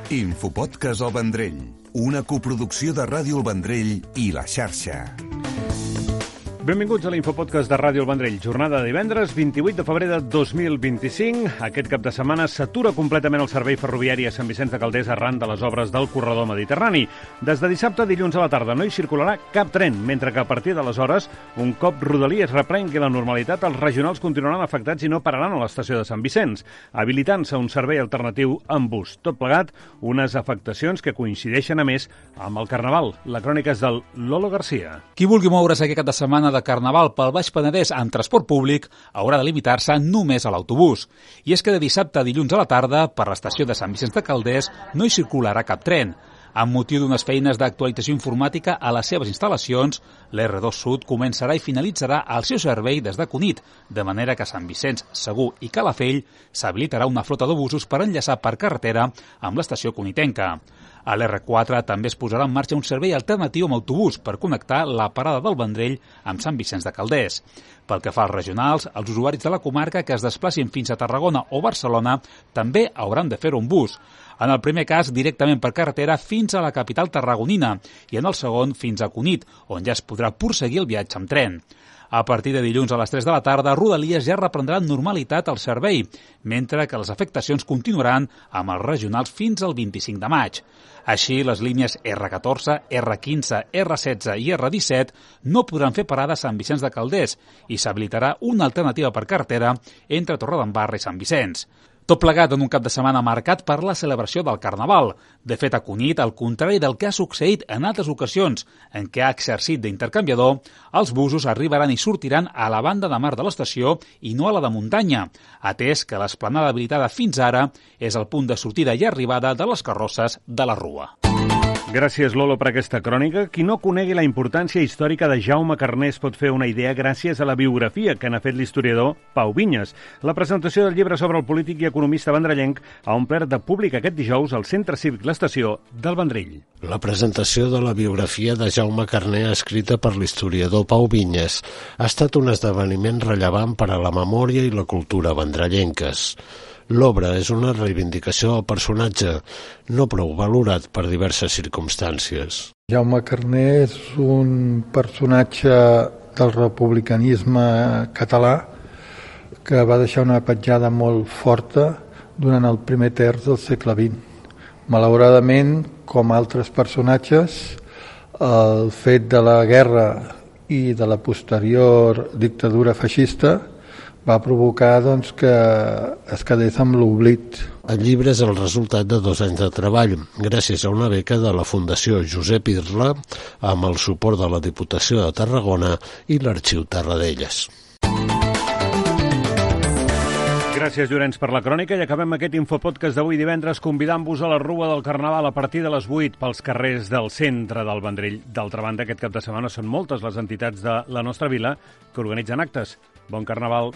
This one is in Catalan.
Infopodcast El Vendrell, una coproducció de Ràdio El Vendrell i La Xarxa. Benvinguts a l'Infopodcast de Ràdio El Vendrell. Jornada de divendres, 28 de febrer de 2025. Aquest cap de setmana s'atura completament el servei ferroviari a Sant Vicenç de Calders arran de les obres del corredor mediterrani. Des de dissabte a dilluns a la tarda no hi circularà cap tren, mentre que a partir d'aleshores, un cop Rodalies reprengui la normalitat, els regionals continuaran afectats i no pararan a l'estació de Sant Vicenç, habilitant-se un servei alternatiu amb bus. Tot plegat, unes afectacions que coincideixen a més amb el Carnaval. La crònica és del Lolo Garcia. Qui vulgui moure's aquest cap de setmana de Carnaval pel Baix Penedès en transport públic haurà de limitar-se només a l'autobús. I és que de dissabte a dilluns a la tarda, per l'estació de Sant Vicenç de Calders, no hi circularà cap tren. Amb motiu d'unes feines d'actualització informàtica a les seves instal·lacions, l'R2 Sud començarà i finalitzarà el seu servei des de Cunit, de manera que a Sant Vicenç, Segur i Calafell s'habilitarà una flota d'autobusos per enllaçar per carretera amb l'estació cunitenca. A l'R4 també es posarà en marxa un servei alternatiu amb autobús per connectar la parada del Vendrell amb Sant Vicenç de Calders. Pel que fa als regionals, els usuaris de la comarca que es desplacin fins a Tarragona o Barcelona també hauran de fer-ho en bus. En el primer cas, directament per carretera fins a la capital tarragonina i en el segon fins a Cunit, on ja es podrà prosseguir el viatge amb tren. A partir de dilluns a les 3 de la tarda, Rodalies ja reprendrà amb normalitat el servei, mentre que les afectacions continuaran amb els regionals fins al 25 de maig. Així, les línies R14, R15, R16 i R17 no podran fer parada a Sant Vicenç de Calders i s'habilitarà una alternativa per carretera entre Torredembarra i Sant Vicenç. Tot plegat en un cap de setmana marcat per la celebració del Carnaval. De fet, a Cunit, al contrari del que ha succeït en altres ocasions en què ha exercit d'intercanviador, els busos arribaran i sortiran a la banda de mar de l'estació i no a la de muntanya, atès que l'esplanada habilitada fins ara és el punt de sortida i arribada de les carrosses de la Rua. Gràcies, Lolo, per aquesta crònica. Qui no conegui la importància històrica de Jaume Carner es pot fer una idea gràcies a la biografia que n'ha fet l'historiador Pau Vinyes. La presentació del llibre sobre el polític i economista vendrellenc ha omplert de públic aquest dijous al Centre Cívic L'Estació del Vendrell. La presentació de la biografia de Jaume Carner escrita per l'historiador Pau Vinyes ha estat un esdeveniment rellevant per a la memòria i la cultura vendrellenques. L'obra és una reivindicació del personatge, no prou valorat per diverses circumstàncies. Jaume Carner és un personatge del republicanisme català que va deixar una petjada molt forta durant el primer terç del segle XX. Malauradament, com altres personatges, el fet de la guerra i de la posterior dictadura feixista va provocar que es quedés amb l'oblit. El llibre és el resultat de 2 anys de treball, gràcies a una beca de la Fundació Josep Irla, amb el suport de la Diputació de Tarragona i l'Arxiu Tarradellas. Gràcies, Llorenç, per la crònica i acabem aquest Infopodcast d'avui divendres convidant-vos a la Rua del Carnaval a partir de les 8 pels carrers del centre del Vendrell. D'altra banda, aquest cap de setmana són moltes les entitats de la nostra vila que organitzen actes. Bon Carnaval!